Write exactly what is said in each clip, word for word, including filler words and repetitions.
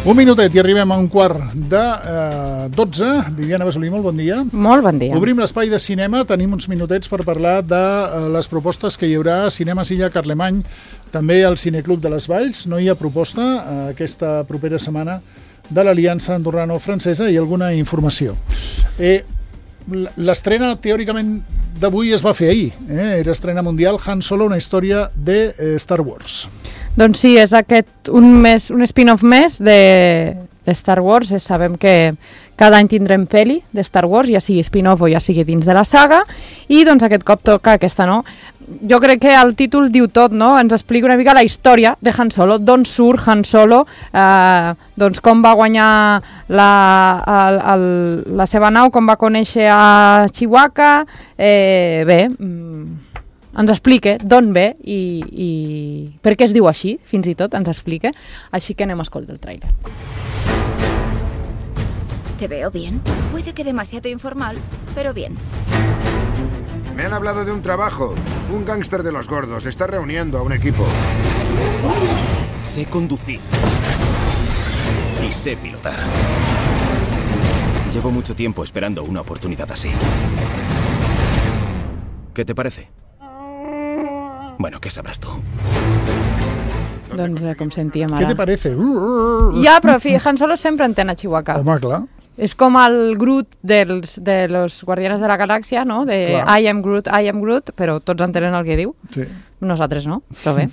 Un minutet i arribem a un quart de eh, dotze. Viviana Besolí, molt bon dia. Molt bon dia. Obrim l'espai de cinema. Tenim uns minutets per parlar de eh, les propostes que hi haurà a Cinema Silla Carlemany, també al Cineclub de les Valls. No hi ha proposta eh, aquesta propera setmana de l'Aliança Andorrano-Francesa i alguna informació. Eh, L'estrena, teòricament, d'avui es va fer ahir. Eh? Era estrena mundial, Han Solo, una història de eh, Star Wars. Doncs sí, és aquest un, mes, un spin-off més de, de Star Wars. Sabem que cada any tindrem pel·li de Star Wars, ja sigui spin-off o ja sigui dins de la saga, i doncs aquest cop toca aquesta, no? Jo crec que el títol diu tot, no? Ens explica una mica la història de Han Solo, d'on surt Han Solo, eh, doncs com va guanyar la, el, el, la seva nau, com va conèixer a Chewbacca, eh, bé, ens explica d'on ve i, i per què es diu així, fins i tot ens explica, així que anem a escoltar el trailer. ¿Te veo bien? Puede que demasiado informal, pero bien. Me han hablado de un trabajo. Un gángster de los gordos está reuniendo a un equipo. Sé conducir. Y sé pilotar. Llevo mucho tiempo esperando una oportunidad así. ¿Qué te parece? Bueno, ¿qué sabrás tú? Doncs eh, com sentíem ara. Què te parece? Ja, però fi, Han Solo sempre entén a Chewbacca. Home, clar. És com el Groot dels, de los Guardianes de la Galàxia, no? De Clar. I am Groot, I am Groot, però tots entenen el que diu. Sí. Nosaltres no, però bé.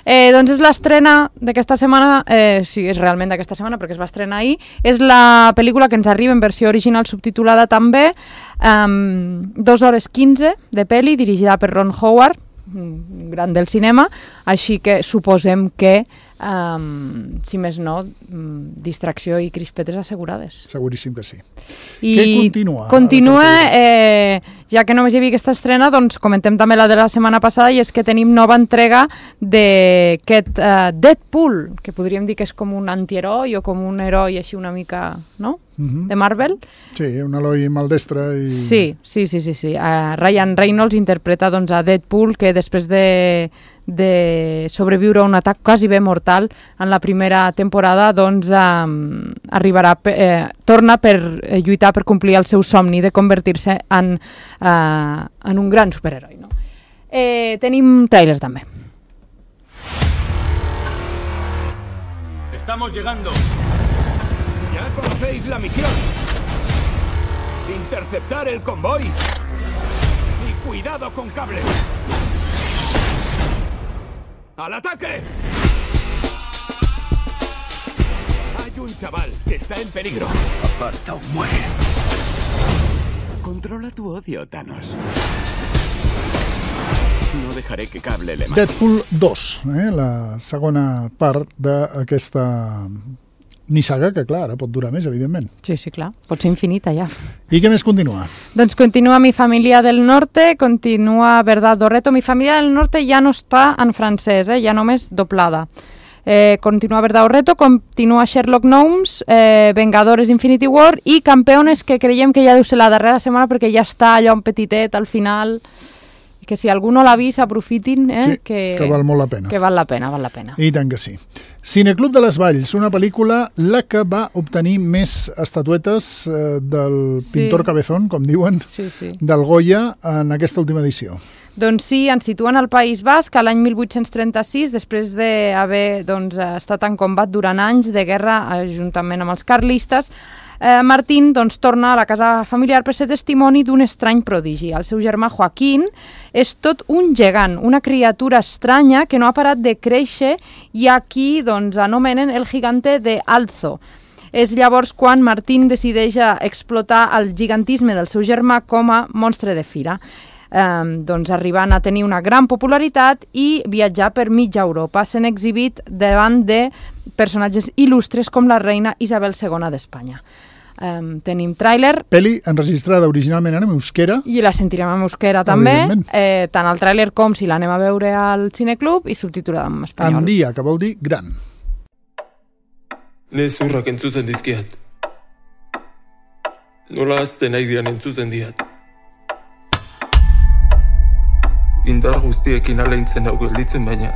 Eh, doncs és l'estrena d'aquesta setmana, eh, sí, és realment d'aquesta setmana perquè es va estrenar ahir, és la pel·lícula que ens arriba en versió original subtitulada també, um, dos hores quinze de pel·li, dirigida per Ron Howard, un gran del cinema, així que suposem que Um, si més no, um, distracció i crispetes assegurades. Seguríssim que sí. I què continua? Continua, eh, ja que només hi havia aquesta estrena, doncs comentem també la de la setmana passada, i és que tenim nova entrega d'aquest uh, Deadpool, que podríem dir que és com un antiheroi o com un heroi així una mica, no? Uh-huh. De Marvel. Sí, un Eloi maldestre. I... Sí, sí, sí, sí. sí. Uh, Ryan Reynolds interpreta doncs, a Deadpool, que després de de sobreviure a un atac quasi bé mortal en la primera temporada, doncs um, arribarà, eh, torna per eh, lluitar per complir el seu somni de convertir-se en, uh, en un gran superheroi. No? Eh, tenim tràiler també. Estamos llegando. Ya conocéis la misión. Interceptar el convoy. Y cuidado con cables. ¡Al ataque! Hay un chaval que está en peligro. Aparta o muere. Controla tu odio, Thanos. No dejaré que Cable le mate. Deadpool dos, eh? La segona part d'aquesta nissaga, que clar, ara pot durar més, evidentment. Sí, sí, clar. Pot ser infinita, ja. I què més continua? Doncs continua Mi Familia del Norte, continua Verdad o Reto. Mi Familia del Norte ja no està en francès, eh? Ja només doblada. Eh, continua Verdad o Reto, continua Sherlock Gnomes, eh, Vengadores Infinity War i Campeones, que creiem que ja deu ser la darrera setmana perquè ja està allò en petitet al final, que si algú no l'ha vist aprofitin, eh? Sí, que, que val molt la pena. Que val la pena, val la pena. I tant que sí. Cineclub de les Valls, una pel·lícula la que va obtenir més estatuetes eh, del Sí. pintor Cabezón, com diuen, Sí, sí. del Goya en aquesta última edició. Doncs sí, ens situen al País Basc a l'any mil vuit-cents trenta-sis, després d'haver doncs, estat en combat durant anys de guerra eh, juntament amb els carlistes. Eh, Martín doncs, torna a la casa familiar per ser testimoni d'un estrany prodigi. El seu germà Joaquín és tot un gegant, una criatura estranya que no ha parat de créixer i aquí doncs, anomenen el gigante de Alzo. És llavors quan Martín decideix explotar el gigantisme del seu germà com a monstre de fira. Um, doncs arribant a tenir una gran popularitat i viatjar per mitja Europa, sent exhibit davant de personatges il·lustres com la reina Isabel segona d'Espanya. Um, tenim tràiler. Pel·li enregistrada originalment en euskera. I la sentirem en euskera també, Evidentment. eh, tant el tràiler com si l'anem a veure al Cineclub, i subtitulada en espanyol. Handia, que vol dir gran. Ne zurrak entzutzen dizkiat. Nola azten nahi dian entzutzen diat. Indar guztiekin aleintzen hau gelditzen baina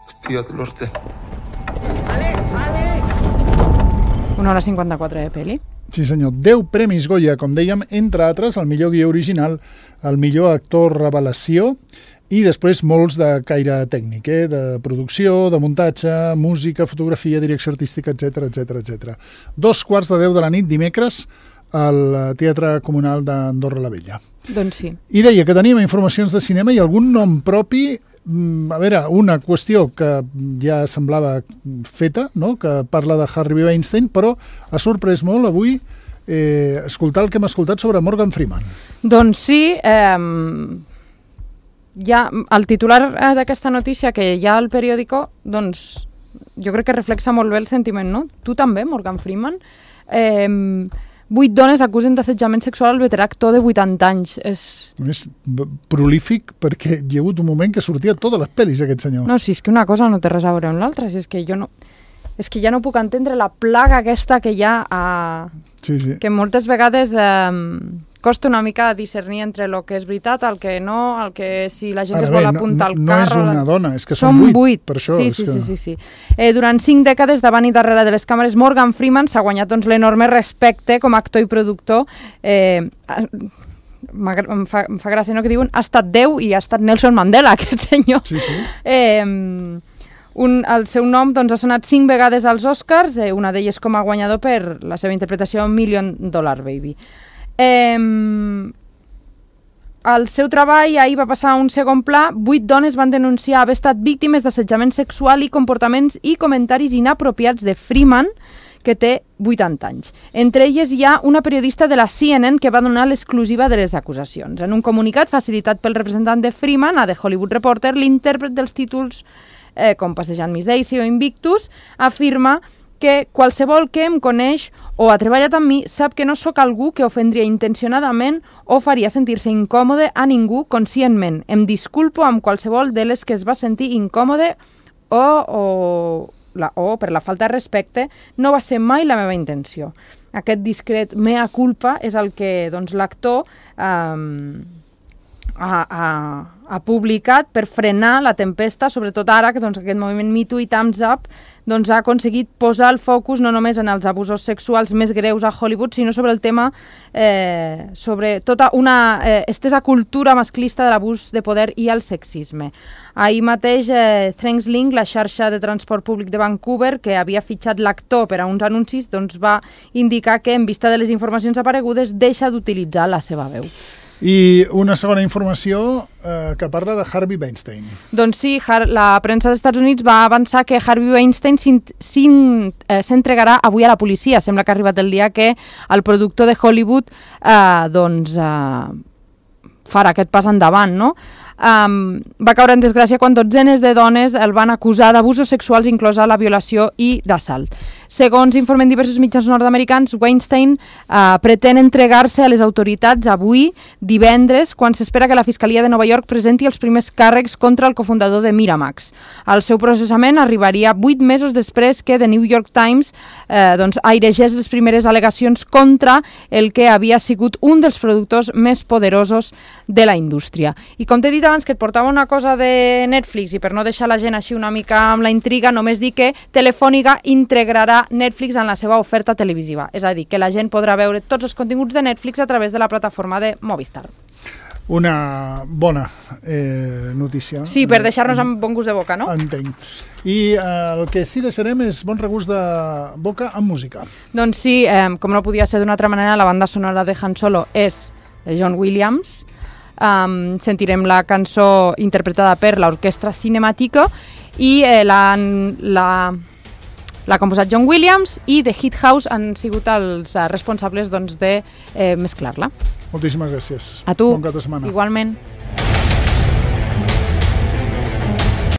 ez diat lortzen. Una hora cinquanta-quatre de pel·li. Sí senyor, deu premis Goya, com dèiem, entre altres, el millor guió original, el millor actor revelació i després molts de caire tècnic, eh? De producció, de muntatge, música, fotografia, direcció artística, etcètera, etcètera, etcètera. Dos quarts de deu de la nit, dimecres, al Teatre Comunal d'Andorra la Vella. Doncs sí. I deia que tenim informacions de cinema i algun nom propi, a veure, una qüestió que ja semblava feta, no? Que parla de Harvey Weinstein, però ha sorprès molt avui eh, escoltar el que hem escoltat sobre Morgan Freeman. Doncs sí, eh, ja el titular d'aquesta notícia que hi ha al periòdico, doncs jo crec que reflexa molt bé el sentiment, no? Tu també, Morgan Freeman? Eh, Vuit dones acusen d'assetjament sexual al veterà actor de vuitanta anys. És... És prolífic perquè hi ha hagut un moment que sortia a totes les pel·lis aquest senyor. No, si és que una cosa no té res a veure amb l'altra, si és que jo no... És que ja no puc entendre la plaga aquesta que hi ha a... Sí, sí. Que moltes vegades eh, costa una mica discernir entre el que és veritat, el que no, el que si la gent Ara es vol bé, apuntar no, al no carro... No és una la... dona, és que són, són vuit, vuit, per això. Sí, és sí, que... sí, sí, sí. Eh, durant cinc dècades, davant i darrere de les càmeres, Morgan Freeman s'ha guanyat doncs, l'enorme respecte com a actor i productor. Eh, em, fa, em fa gràcia, no?, que diuen ha estat Déu i ha estat Nelson Mandela, aquest senyor. Sí, sí. Eh, Un, el seu nom doncs, ha sonat cinc vegades als Oscars, eh, una d'elles com a guanyador per la seva interpretació Million Dollar Baby. Eh, el seu treball ahir va passar a un segon pla. Vuit dones van denunciar haver estat víctimes d'assetjament sexual i comportaments i comentaris inapropiats de Freeman, que té vuitanta anys. Entre elles hi ha una periodista de la C N N que va donar l'exclusiva de les acusacions. En un comunicat facilitat pel representant de Freeman, a The Hollywood Reporter, l'intèrpret dels títols Eh, com Passejant Miss Daisy o Invictus, afirma que qualsevol que em coneix o ha treballat amb mi sap que no sóc algú que ofendria intencionadament o faria sentir-se incòmode a ningú conscientment. Em disculpo amb qualsevol de les que es va sentir incòmode o, o, la, o per la falta de respecte. No va ser mai la meva intenció. Aquest discret mea culpa és el que doncs, l'actor eh, ha, ha, ha publicat per frenar la tempesta, sobretot ara que doncs, aquest moviment Me Too i Thumbs Up doncs, ha aconseguit posar el focus no només en els abusos sexuals més greus a Hollywood, sinó sobre el tema, eh, sobre tota una eh, estesa cultura masclista de l'abús de poder i el sexisme. Ahir mateix, eh, TransLink, la xarxa de transport públic de Vancouver, que havia fitxat l'actor per a uns anuncis, doncs, va indicar que, en vista de les informacions aparegudes, deixa d'utilitzar la seva veu. I una segona informació eh, que parla de Harvey Weinstein. Doncs sí, la premsa dels Estats Units va avançar que Harvey Weinstein s'entregarà avui a la policia. Sembla que ha arribat el dia que el productor de Hollywood eh, doncs, eh, farà aquest pas endavant, no? Um, va caure en desgràcia quan dotzenes de dones el van acusar d'abusos sexuals, inclosa la violació i d'assalt. Segons informen diversos mitjans nord-americans, Weinstein uh, pretén entregar-se a les autoritats avui, divendres, quan s'espera que la Fiscalia de Nova York presenti els primers càrrecs contra el cofundador de Miramax. El seu processament arribaria vuit mesos després que The New York Times eh, doncs, airegés les primeres al·legacions contra el que havia sigut un dels productors més poderosos de la indústria. I com t'he dit abans que et portava una cosa de Netflix i per no deixar la gent així una mica amb la intriga, només dir que Telefònica integrarà Netflix en la seva oferta televisiva. És a dir, que la gent podrà veure tots els continguts de Netflix a través de la plataforma de Movistar. Una bona eh, notícia. Sí, per deixar-nos amb bon gust de boca, no? Entenc. I eh, el que sí deixarem és bon regust de boca amb música. Doncs sí, eh, com no podia ser d'una altra manera, la banda sonora de Han Solo és de John Williams. Um, sentirem la cançó interpretada per l'Orquestra Cinemàtica i eh, la, la, l'ha composat John Williams i The Hit House han sigut els uh, responsables doncs, de eh, mesclar-la. Moltíssimes gràcies. A tu. Bon cap de setmana. Igualment.